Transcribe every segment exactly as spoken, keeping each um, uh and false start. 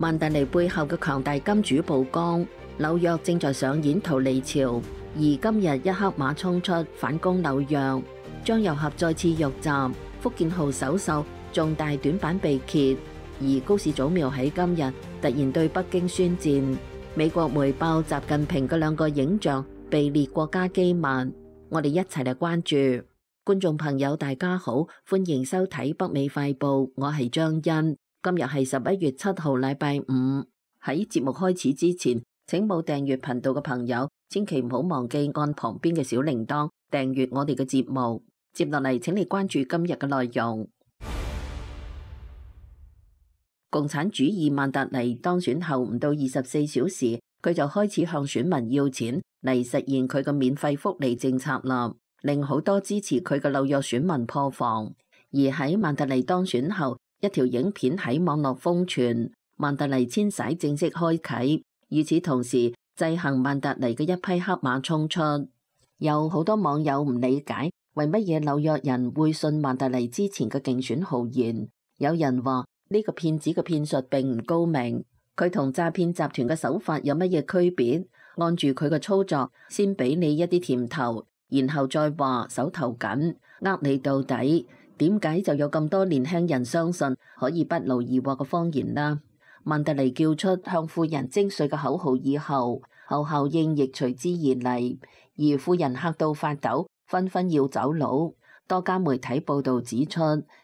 曼達尼背後嘅強大金主曝光，紐約正在上演逃離潮，而今日一黑馬衝出反攻紐約，張又俠再次遇襲，福建號首艘重大短板被揭，而高市早苗喺今日突然對北京宣戰，美國媒報習近平嘅兩個影像被列國家機密，我哋一齊嚟關注。觀眾朋友大家好，歡迎收睇北美快報，我係張欣。今日係十一月七號禮拜五。喺節目開始之前，請冇訂閱頻道嘅朋友千祈唔好忘記按旁邊嘅小鈴鐺訂閱我哋嘅節目。接落嚟請你關注今日嘅內容。共產主義曼達尼當選後唔到二十四小時，佢就開始向選民要錢嚟實現佢嘅免費福利政策啦，令好多支持佢嘅紐約選民破防。而喺曼達尼當選後，一條影片喺網絡瘋傳，曼達尼遷徙正式開啟。與此同時，制衡曼達尼嘅一批黑馬衝出，有好多網友唔理解為乜嘢紐約人會信曼達尼之前嘅競選豪言。有人話呢個騙子嘅騙術並唔高明，佢同詐騙集團嘅手法有乜嘢區別？按住佢嘅操作，先俾你一啲甜頭，然後再話手頭緊，呃你到底。點解就有咁多年輕人相信可以不勞而獲嘅謊言啦？曼達尼叫出向富人徵稅嘅口號以後，後效應亦隨之而嚟，而富人嚇到發抖，紛紛要走佬。多家媒體報導指出，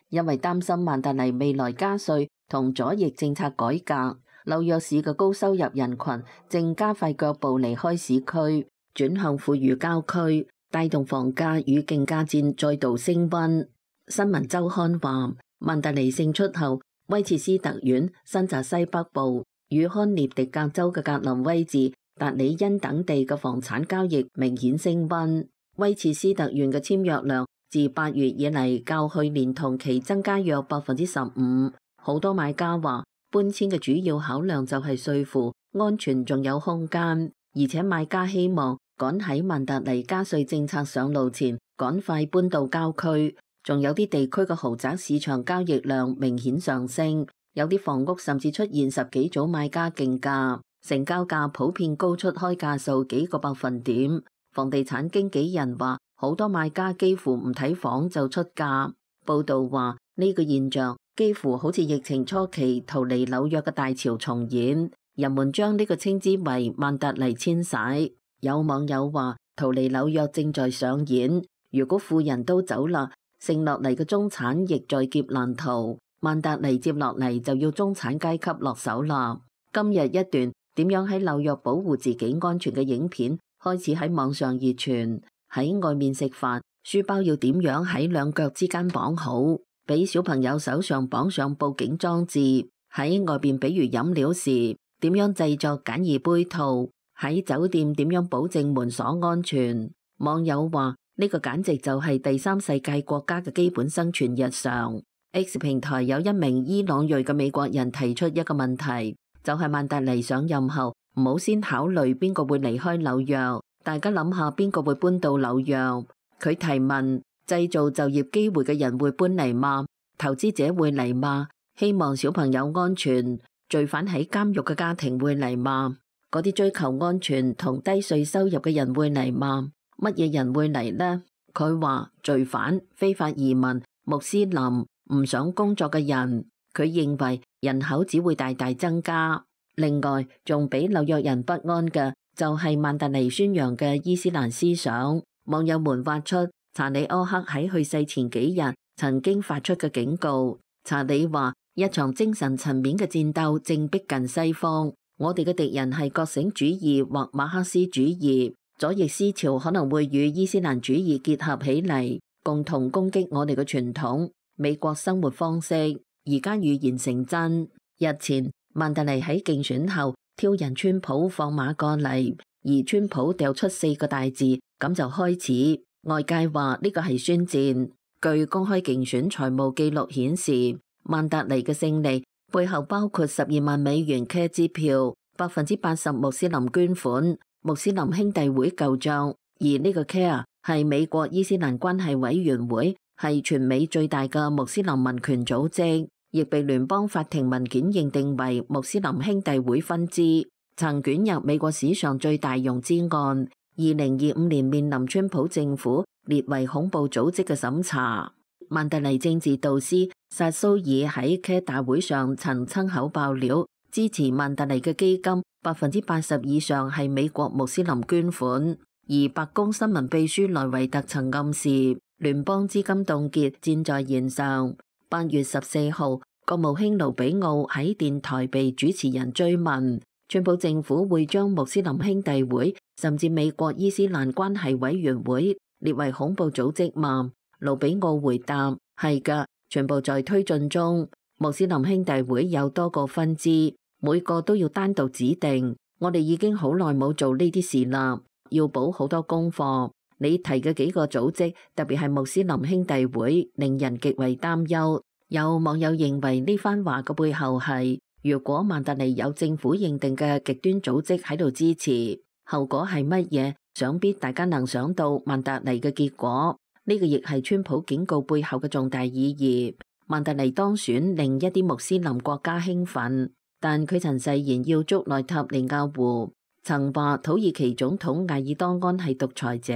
因為擔心曼達尼未來加稅同左翼政策改革，紐約市嘅高收入人群正加快腳步離開市區，轉向富裕郊區，帶動房價與競價戰再度升溫。新聞週刊話，曼達尼勝出後，威切斯特縣、新澤西北部與康涅狄格州嘅格林威治、達里恩等地嘅房產交易明顯升溫。威切斯特縣嘅簽約量自八月以嚟較去年同期增加約百分之十五。好多買家話，搬遷嘅主要考量就係稅負、安全仲有空間，而且買家希望趕喺曼達尼加稅政策上路前，趕快搬到郊區。仲有啲地區嘅豪宅市場交易量明顯上升，有啲房屋甚至出現十幾組買家競價，成交價普遍高出開價數幾個百分點。房地產經紀人話，好多買家幾乎唔睇房就出價。報道話，呢個現象幾乎好似疫情初期逃離紐約嘅大潮重演，人們將呢個稱之為曼達尼遷徙。有網友話，逃離紐約正在上演，如果富人都走啦，剩落嚟嘅中產亦在劫難逃，曼達尼接落嚟就要中產階級落手啦。今日一段點樣喺紐約保護自己安全嘅影片開始喺網上熱傳。喺外面食飯，書包要點樣喺兩腳之間綁好，俾小朋友手上綁上報警裝置。喺外邊比如飲料時，點樣製作簡易杯套，喺酒店點樣保證門鎖安全。網友話，呢個簡直就係第三世界國家嘅基本生存日常。X 平台有一名伊朗裔嘅美國人提出一個問題，就係曼達尼上任後唔好先考慮邊個會離開紐約，大家諗下邊個會搬到紐約。佢提問，製造就業機會嘅人會搬嚟嗎？投資者會嚟嗎？希望小朋友安全，罪犯喺監獄嘅家庭會嚟嗎？嗰啲追求安全同低稅收入嘅人會嚟嗎？乜嘢人會嚟呢？佢話罪犯、非法移民、穆斯林、唔想工作嘅人。佢認為人口只會大大增加。另外，仲俾紐約人不安嘅就係曼達尼宣揚嘅伊斯蘭思想。網友們挖出查理柯克喺去世前幾日曾經發出嘅警告。查理話，一場精神層面嘅戰鬥正逼近西方，我哋嘅敵人係覺醒主義或馬克思主義。左翼思潮可能會與伊斯蘭主義結合起嚟，共同攻擊我哋嘅傳統美國生活方式。而家預言成真。日前，曼達尼喺競選後挑人川普放馬過嚟，而川普掉出四個大字，咁就開始。外界話呢個係宣戰。據公開競選財務記錄顯示，曼達尼嘅勝利背後包括十二萬美元卡支票，百分之八十穆斯林捐款。穆斯林兄弟會舊賬，而呢個 C A R E 係美國伊斯蘭關係委員會，係全美最大嘅穆斯林民權組織。亦被聯邦法庭文件認定為穆斯林兄弟會分支，曾捲入美國史上最大融資案。二零二五年面臨川普政府列為恐怖組織嘅審查。曼特尼政治導師薩蘇爾喺 C A 大會上曾親口爆料，支持曼特尼嘅基金百分之八十以上係美國穆斯林捐款。而白宮新聞秘書萊維特曾暗示，聯邦資金凍結箭在弦上。八月十四號，國務卿盧比奧喺電台被主持人追問，川普政府會將穆斯林兄弟會甚至美國伊斯蘭關係委員會列為恐怖組織嗎？盧比奧回答：係㗎，全部在推進中。穆斯林兄弟會有多個分支，每個都要單獨指定。我哋已經好耐冇做呢啲事啦，要補好多功課。你提嘅幾個組織，特別係穆斯林兄弟會，令人極為擔憂。有網友認為呢番話嘅背後係，如果曼特尼有政府認定嘅極端組織喺度支持，後果係乜嘢？想必大家能想到曼特尼嘅結果。呢個亦係川普警告背後嘅重大意義。曼特尼當選令一啲穆斯林國家興奮，但佢曾誓言要捉內塔尼亞胡，曾話土耳其總統艾爾多安係獨裁者，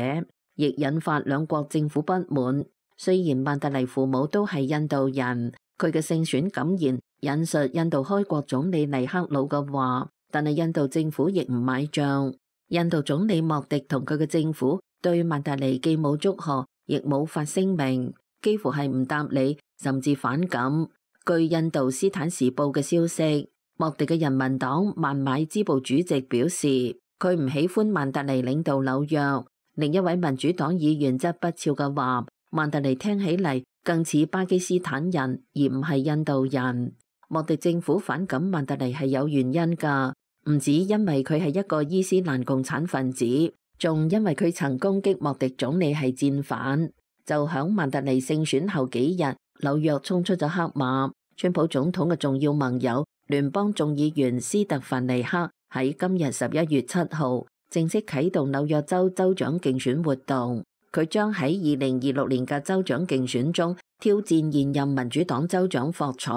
亦引發兩國政府不滿。雖然曼特尼父母都係印度人，佢嘅勝選感言引述印度開國總理尼赫魯嘅話，但係印度政府亦唔買賬。印度總理莫迪同佢嘅政府對曼特尼既冇祝賀，亦冇發聲明，幾乎係唔答理，甚至反感。據印度斯坦時報嘅消息，莫迪嘅人民黨孟買支部主席表示，佢唔喜歡曼特尼領導紐約。另一位民主黨議員則不屑嘅話，曼特尼聽起嚟更似巴基斯坦人，而唔係印度人。莫迪政府反感曼特尼係有原因㗎，唔止因為佢係一個伊斯蘭共產分子，仲因為佢曾攻擊莫迪總理係戰犯。就響曼特尼勝選後幾日，紐約衝出咗黑馬。川普總統嘅重要盟友聯邦眾議員斯特凡尼克喺今日十一月七號正式啟動紐約州州長競選活動。佢將喺二零二六年嘅州長競選中挑戰現任民主黨州長霍楚。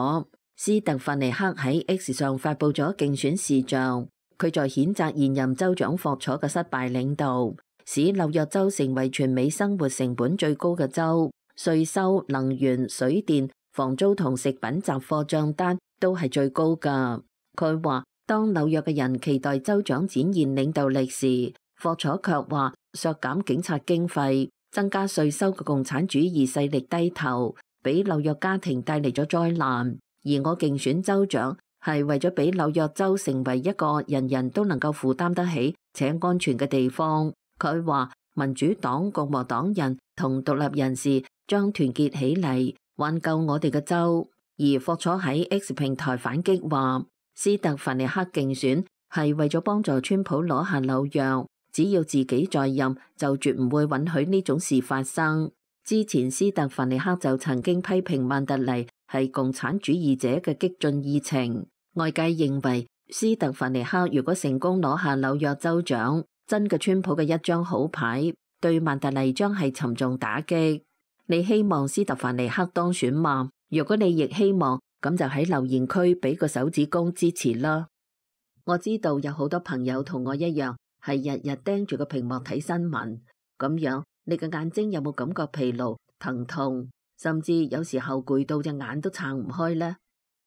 斯特凡尼克喺 X 上發佈咗競選視像，佢在譴責現任州長霍楚嘅失敗領導，使紐約州成為全美生活成本最高嘅州，稅收、能源、水電、房租同食品雜貨賬單都係最高㗎。佢話，當紐約嘅人期待州長展現領導力時，霍楚卻話削減警察經費、增加稅收嘅共產主義勢力低頭，俾紐約家庭帶嚟咗災難。而我競選州長係為咗俾紐約州成為一個人人都能夠負擔得起且安全嘅地方。佢話民主黨、共和黨人同獨立人士將團結起嚟挽救我哋嘅州。而霍楚喺 X 平台反擊話，斯特凡尼克競選係為咗幫助川普攞下紐約，只要自己在任就絕唔會允許呢種事發生。之前斯特凡尼克就曾經批評曼特尼係共產主義者嘅激進議程。外界認為斯特凡尼克如果成功攞下紐約州長，真嘅川普嘅一張好牌，對曼特尼將係沉重打擊。你希望斯特凡尼克當選嗎？如果你亦希望，咁就喺留言區俾個手指公支持啦。我知道有好多朋友同我一樣，係日日盯住個屏幕睇新聞，咁樣你嘅眼睛有冇感覺疲勞、疼痛，甚至有時候攰到隻眼都撐唔開呢？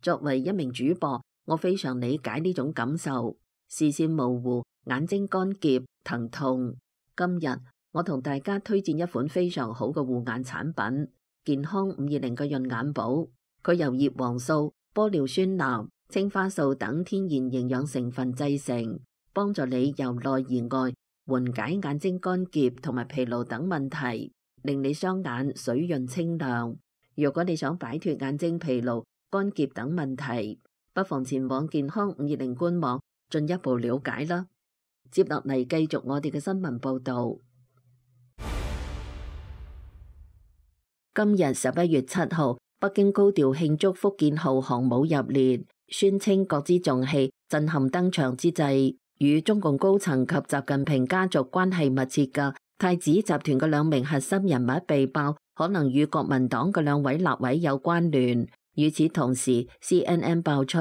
作為一名主播，我非常理解呢種感受，視線模糊、眼睛乾澀、疼痛。今日我同大家推薦一款非常好嘅護眼產品——健康五二零嘅潤眼寶。佢由葉黃素、玻尿酸鈉、青花素等天然營養成分製成，幫助你由內而外緩解眼睛乾澀同埋疲勞等問題，令你雙眼水潤清亮。如果你想擺脫眼睛疲勞、乾澀等問題，不妨前往健康五二零官網進一步了解啦。接落嚟繼續我哋嘅新聞報道。今日十一月七號，北京高調慶祝福建號航母入列，宣稱國之重器震撼登場之際，與中共高層及習近平家族關係密切嘅太子集團嘅兩名核心人物被爆，可能與國民黨嘅兩位立委有關聯。與此同時 ，C N N 爆出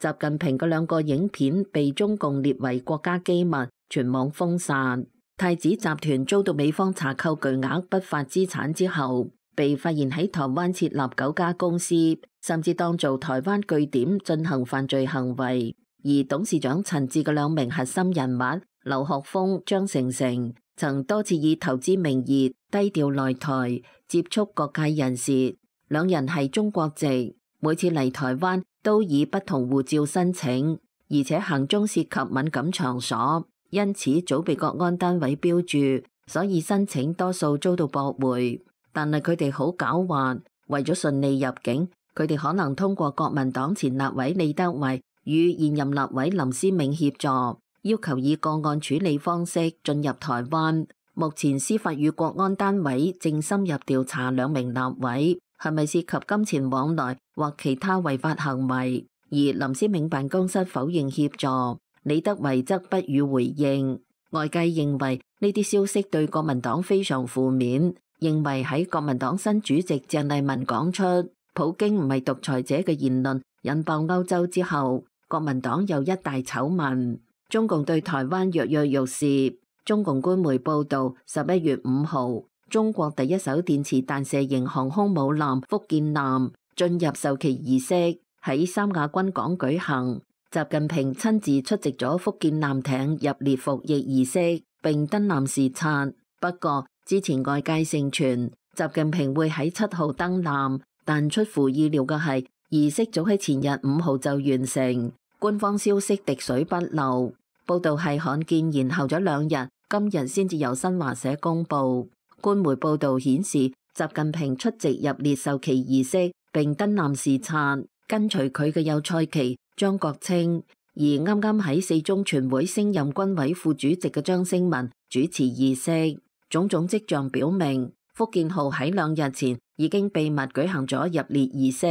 習近平嘅兩個影片被中共列為國家機密，全網封殺。太子集團遭到美方查扣巨額不法資產之後，被發現喺台灣設立九家公司，甚至當做台灣據點進行犯罪行為。而董事長陳志嘅兩名核心人物劉學峰、張成成，曾多次以投資名義低調來台，接觸各界人士。兩人係中國籍，每次嚟台灣都以不同護照申請，而且行蹤涉及敏感場所，因此早被國安單位標注，所以申請多數遭到駁回。但係佢哋好狡猾，為咗順利入境，佢哋可能通過國民黨前立委李德維與現任立委林思銘協助，要求以個案處理方式進入台灣。目前司法與國安單位正深入調查兩名立委係咪涉及金錢往來或其他違法行為，而林思銘辦公室否認協助，李德維則不予回應。外界認為呢啲消息對國民黨非常負面，認為喺國民黨新主席鄭麗文講出普京唔係獨裁者嘅言論引爆歐洲之後，國民黨又一大醜聞。中共對台灣躍躍欲試。中共官媒報導，十一月五號，中國第一艘電磁彈射型航空母艦福建艦進入授旗儀式，喺三亞軍港舉行。習近平親自出席咗福建艦艇入列服役儀式，並登艦視察。不過，之前外界盛傳習近平會喺七號登艦，但出乎意料嘅係，儀式早喺前日五號就完成。官方消息滴水不漏，報道係罕見延後咗兩日，今日先至由新華社公佈。官媒報道顯示，習近平出席入列授旗儀式並登艦視察，跟隨佢嘅有蔡奇、張國清，而啱啱喺四中全會升任軍委副主席嘅張升文主持儀式。種種跡象表明，福建號喺兩日前已經秘密舉行咗入列儀式，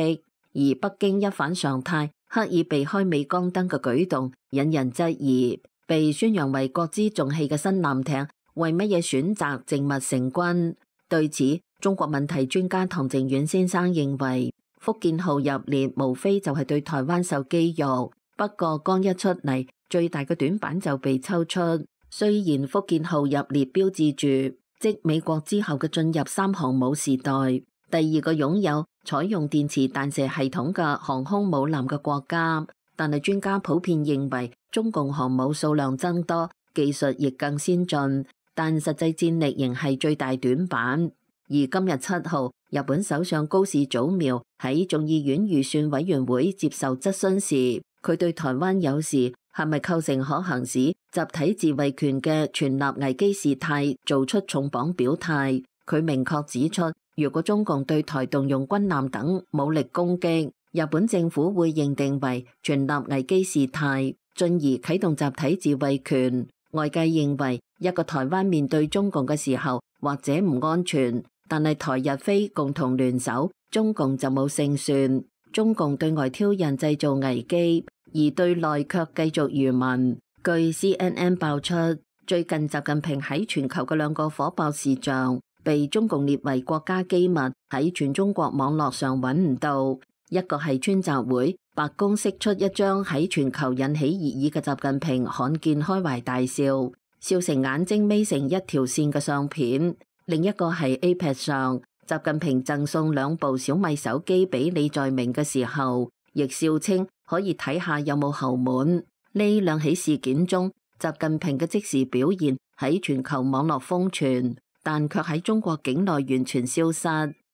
而北京一反常態，刻意避開鎂光燈嘅舉動，引人質疑。被宣揚為國之重器嘅新艦艇，為乜嘢選擇靜默成軍？對此，中國問題專家唐靖遠先生認為，福建號入列無非就係對台灣授機肉。不過剛一出嚟，最大嘅短板就被抽出。雖然福建號入列標誌住即美國之後嘅進入三航母時代，第二個擁有採用電磁彈射系統嘅航空母艦嘅國家，但係專家普遍認為中共航母數量增多，技術亦更先進，但實際戰力仍係最大短板。而今日七號，日本首相高市早苗喺眾議院預算委員會接受質詢時，佢對台灣有事係咪構成可行使集體自衛權嘅全立危機事態做出重磅表態。佢明確指出，如果中共對台動用軍艦等武力攻擊，日本政府會認定為全立危機事態，進而啟動集體自衛權。外界認為一個台灣面對中共嘅時候或者唔安全，但係台日非共同聯手，中共就冇勝算。中共對外挑釁製造危機，而對內卻繼續愚民。據 C N N 爆出，最近習近平喺全球嘅兩個火爆事象被中共列為國家機密，喺全中國網絡上揾唔到。一個係川習會，白宮釋出一張喺全球引起熱議嘅習近平罕見開懷大笑，笑成眼睛眯成一條線嘅相片。另一個係 A P E C 上，習近平贈送兩部小米手機俾李在明嘅時候，亦笑稱可以睇下有冇後門。呢兩起事件中，習近平嘅即時表現喺全球網絡瘋傳，但卻喺中國境內完全消失。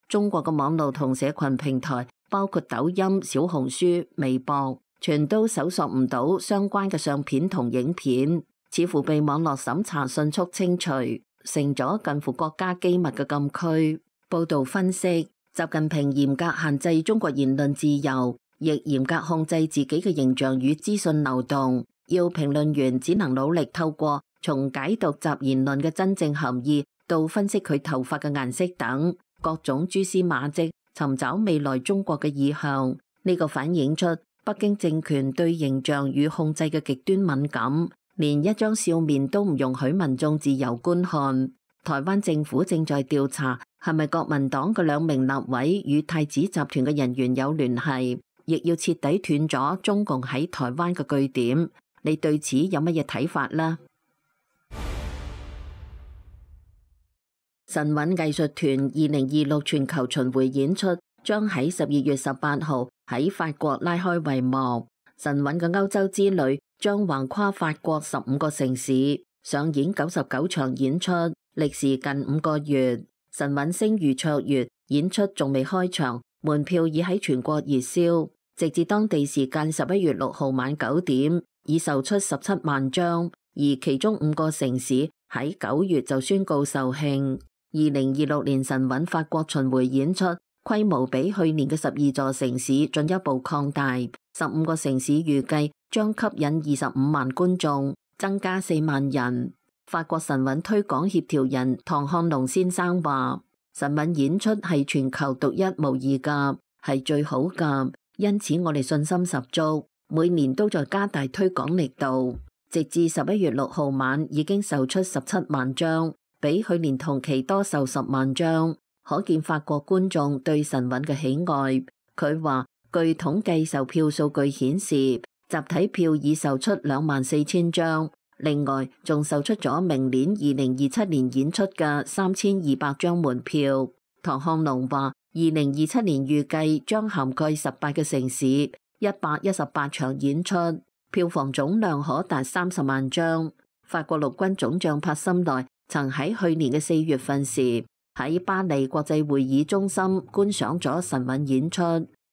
中國嘅網絡同社群平台，包括抖音、小紅書、微博，全都搜索唔到相關嘅相片同影片，似乎被網絡審查迅速清除，成咗近乎國家機密嘅禁區。報道分析，習近平嚴格限制中國言論自由，亦嚴格控制自己嘅形象與資訊流動，要評論員只能努力透過從解讀習言論嘅真正含義，到分析佢頭髮嘅顏色等各種蛛絲馬跡，尋找未來中國嘅意向。呢個反映出北京政權對形象與控制嘅極端敏感，連一張笑面都唔容許民眾自由觀看。台灣政府正在調查係咪國民黨嘅兩名立委與太子集團嘅人員有聯繫，亦要徹底斷咗中共喺台灣嘅據點。你對此有乜嘢睇法呢？神韻藝術團二零二六全球巡迴演出將喺十二月十八號喺法國拉開帷幕。神韻嘅歐洲之旅將橫跨法國十五個城市，上演九十九場演出，歷時近五個月。神韻聲如卓越演出仲未開場，門票已喺全國熱銷，直至當地時間十一月六號晚九點，已售出十七萬張，而其中五個城市喺九月就宣告售罄。二零二六年神韻法國巡迴演出規模比去年嘅十二座城市進一步擴大，十五個城市預計將吸引二十五萬觀眾，增加四萬人。法國神韻推廣協調人唐漢龍先生話：神韻演出係全球獨一無二噶，係最好噶，因此我哋信心十足，每年都在加大推廣力度。直至十一月六號晚已經售出十七萬張，比去年同期多售十萬張，可見法國觀眾對神韻嘅喜愛。佢話，據統計售票數據顯示，集體票已售出兩萬四千張，另外仲售出咗明年二零二七年演出嘅三千二百張門票。唐漢龍話，二零二七年預計將涵蓋十八個城市，一百一十八場演出，票房總量可達三十萬張。法國陸軍總將帕森內曾喺去年嘅四月份時喺巴黎國際會議中心觀賞咗神韻演出，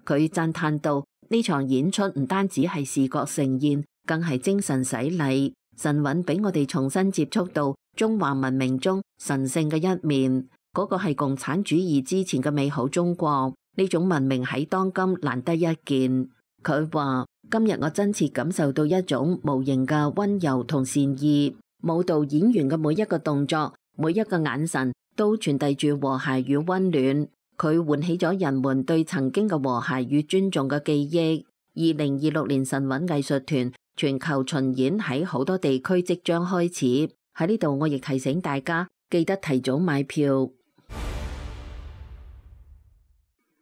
佢讚嘆道：呢場演出唔單止係視覺盛宴，更係精神洗禮。神韻俾我哋重新接觸到中華文明中神聖嘅一面，嗰個係共產主義之前嘅美好中國。呢種文明喺當今難得一見。佢話：今日我真切感受到一種無形嘅溫柔同善意，舞蹈演員嘅每一個動作、每一個眼神都傳遞住和諧與溫暖。佢喚起咗人們對曾經嘅和諧與尊重嘅記憶。二零二六年神韻藝術團全球巡演喺好多地區即將開始，喺呢度我亦提醒大家記得提早買票。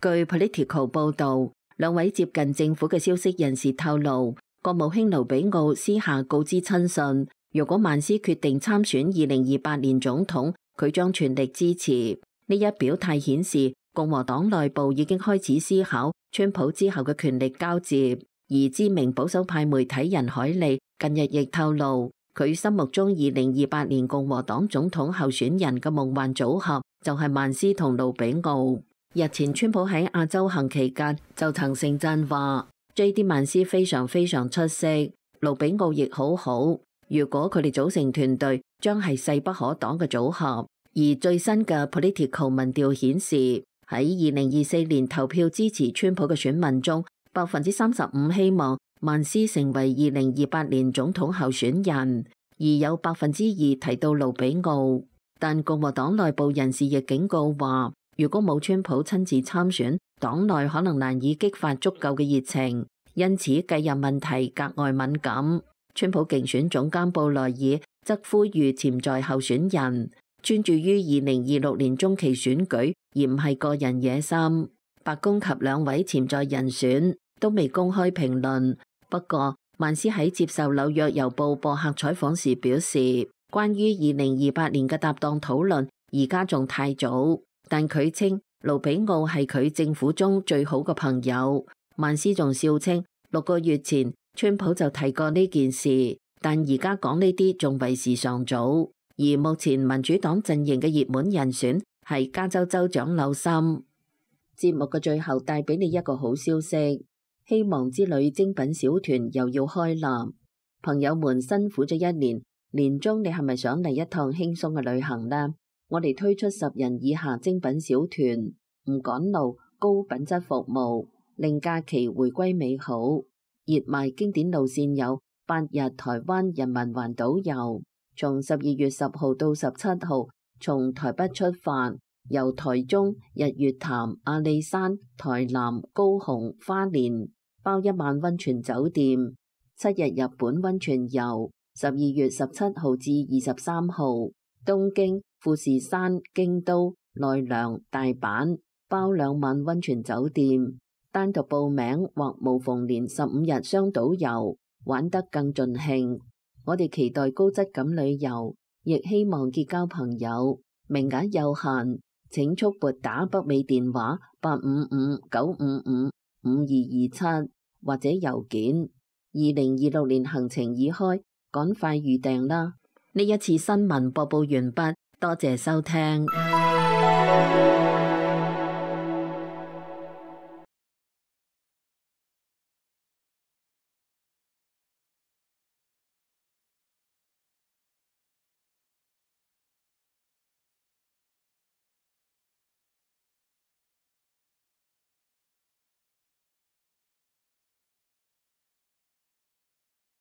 據 Politico 報導，兩位接近政府嘅消息人士透露，國務卿盧比奧私下告知親信，如果曼斯決定參選二零二八年總統，佢將全力支持。呢一表態顯示，共和黨內部已經開始思考川普之後嘅權力交接。而知名保守派媒體人海利近日亦透露，佢心目中二零二八年共和黨總統候選人嘅夢幻組合就係曼斯同盧比奧。日前川普喺亞洲行期間就曾盛讚話 J D 曼斯非常非常出色，盧比奧亦好好。如果佢哋組成團隊，將係勢不可擋嘅組合。而最新嘅 Political 民調顯示，喺二零二四年投票支持川普嘅選民中，百分之三十五希望曼斯成為二零二八年總統候選人，而有百分之二提到盧比奧。但共和黨內部人士亦警告話，如果冇川普親自參選，黨內可能難以激發足夠嘅熱情，因此繼任問題格外敏感。川普競選總監布萊爾則呼籲潛在候選人專注於二零二六年中期選舉，而唔係個人野心。白宮及兩位潛在人選都未公開評論。不過，曼斯喺接受紐約郵報播客採訪時表示，關於二零二八年嘅搭檔討論而家仲太早。但佢稱盧比奧係佢政府中最好嘅朋友。曼斯仲笑稱六個月前川普就提過呢件事，但而家講呢啲仲為時尚早。而目前民主黨陣營嘅熱門人選係加州州長紐森。節目嘅最後帶俾你一個好消息，希望之旅精品小團又要開啦！朋友們辛苦咗一年，年終你係咪想嚟一趟輕鬆嘅旅行呢？我哋推出十人以下精品小團，唔趕路，高品質服務，令假期回歸美好。熱賣經典路線有八日台灣人民環島遊，從十二月十號到十七號，從台北出發，由台中、日月潭、阿里山、台南、高雄、花蓮，包一晚溫泉酒店，七日日本溫泉遊，十二月十七號至二十三號，東京、富士山、京都、奈良、大阪，包兩晚溫泉酒店，單獨報名或無縫連十五日雙島遊，玩得更盡興。我哋期待高質感旅遊，亦希望結交朋友，名額有限，請速撥打北美電話八五五九五五五二二七或者郵件。二零二六年行程已開，趕快預訂啦！呢一次新聞播報完畢，多謝收聽。